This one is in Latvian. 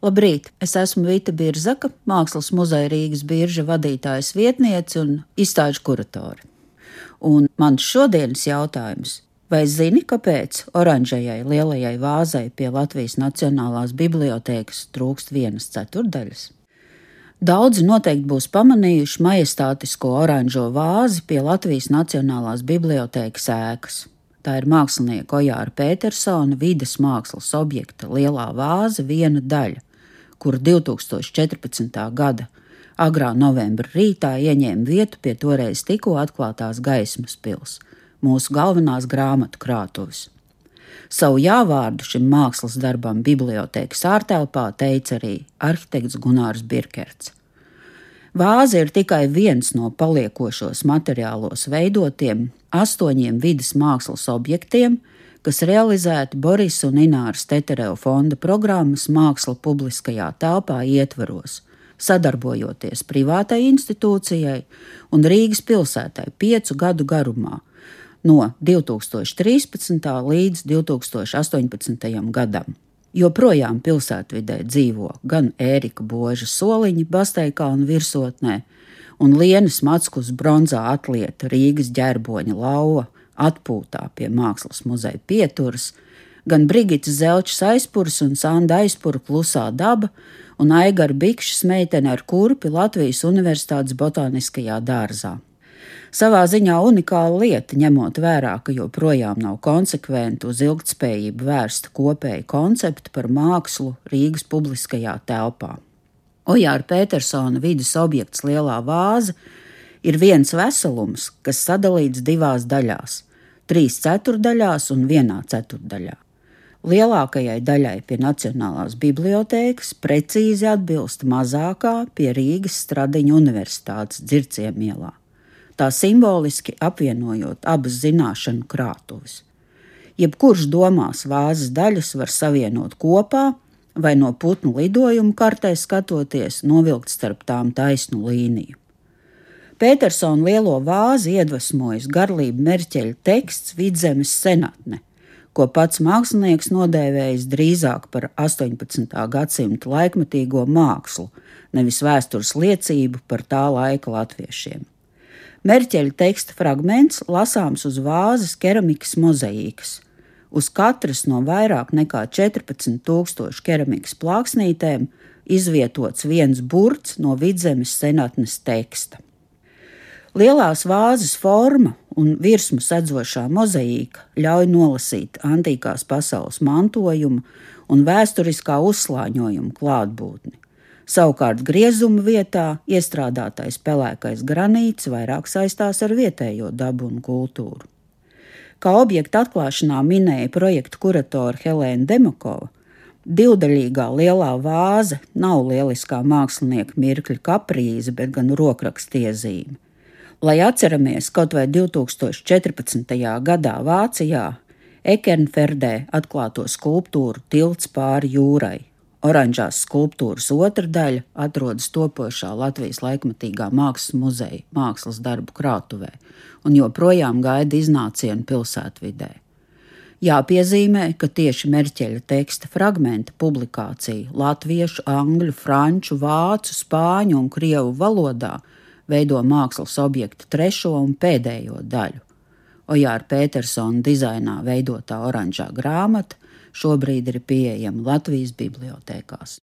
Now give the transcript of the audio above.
Labrīt! Es esmu Vita Birzaka, Mākslas muzeja Rīgas birža vadītājas vietniece un izstāžu kuratore. Un mans šodienas jautājums: vai zini, kāpēc oranžajai lielajai vāzai pie Latvijas Nacionālās bibliotēkas trūkst 1/4? Daudzi noteikti būs pamanījuši majestātisko oranžo vāzi pie Latvijas Nacionālās bibliotēkas ēkas. Tā ir mākslinieka Ojāra Petersona vides mākslas objekta lielā vāze viena daļa, kur 2014. gada agrā novembra rītā ieņēma vietu pie toreiz tikko atklātās Gaismas pils, mūsu galvenās grāmatu krātuves. Savu jāvārdu šim mākslas darbam bibliotēkas ārtelpā teica arī arhitekts Gunārs Birkerts. Vāze ir tikai viens no paliekošos materiālos veidotiem 8 vides mākslas objektiem, kas realizēti Borisa un Ināras Tetereva fonda programmas Māksla publiskajā telpā ietvaros, sadarbojoties privātai institūcijai un Rīgas pilsētai 5 gadu garumā, no 2013. līdz 2018. gadam. Joprojām pilsētvidē dzīvo gan Ērika Boža soliņi Basteikkalna virsotnē un Lienas Mackus bronzā atlieta Rīgas ģerboņa lauva atpūtā pie Mākslas muzeja pieturas, gan Brigitas Zelčas aizpurs un Sanda aizpura Klusā daba un Aigara Bikšas meitene ar kurpi Latvijas Universitātes botāniskajā dārzā. Savā ziņā unikāla lieta, ņemot vērā, ka joprojām nav konsekventi uz ilgtspējību vērsta kopēja koncepta par mākslu Rīgas publiskajā telpā. Ojāra Petersona vides objekts lielā vāze ir viens veselums, kas sadalīts 2 daļās – 3/4 daļās un 1/4 daļā. Lielākajai daļai pie Nacionālās bibliotēkas precīzi atbilst mazākā pie Rīgas Stradiņa Universitātes Dzirciemielā, tā simboliski apvienojot abas zināšanu krātuves. Jebkurš domās vāzes daļas var savienot kopā vai no putnu lidojumu kartē skatoties novilkt starp tām taisnu līniju. Petersona lielo vāzi iedvesmojas Garlība Merķeļa teksts Vidzemes senatne, ko pats mākslinieks nodēvējis drīzāk par 18. gadsimta laikmetīgo mākslu, nevis vēstures liecību par tā laika latviešiem. Merķeļa teksta fragments lasāms uz vāzes keramikas mozaīkas. Uz katras no vairāk nekā 14,000 keramikas plāksnītēm izvietots viens burts no Vidzemes senatnes teksta. Lielās vāzes forma un virsmu sedzošā mozaīka ļauj nolasīt antīkās pasaules mantojumu un vēsturiskā uzslāņojuma klātbūtni. Savukārt griezuma vietā iestrādātais pelēkais granīts vairāk saistās ar vietējo dabu un kultūru. Kā objekta atklāšanā minēja projekta kuratore Helēna Demakova, divdaļīgā lielā vāze nav lieliskā mākslinieka mirkļa kaprīze, bet gan rokrakstiezīme. Lai atceramies kaut vai 2014. gadā Vācijā Ekernferdē atklāto skulptūru Tilts pāri jūrai. Oranžās skulptūras otra daļa atrodas topošā Latvijas laikmetīgā mākslas muzeja mākslas darbu krātuvē un joprojām gaida iznācienu pilsētvidē. Jāpiezīmē, ka tieši Merķeļa teksta fragmenta publikācija latviešu, angļu, franču, vācu, spāņu un krievu valodā veido mākslas objekta 3. un pēdējo daļu. Ojāra Petersona dizainā veidotā oranžā grāmata šobrīd ir pieejama Latvijas bibliotēkās.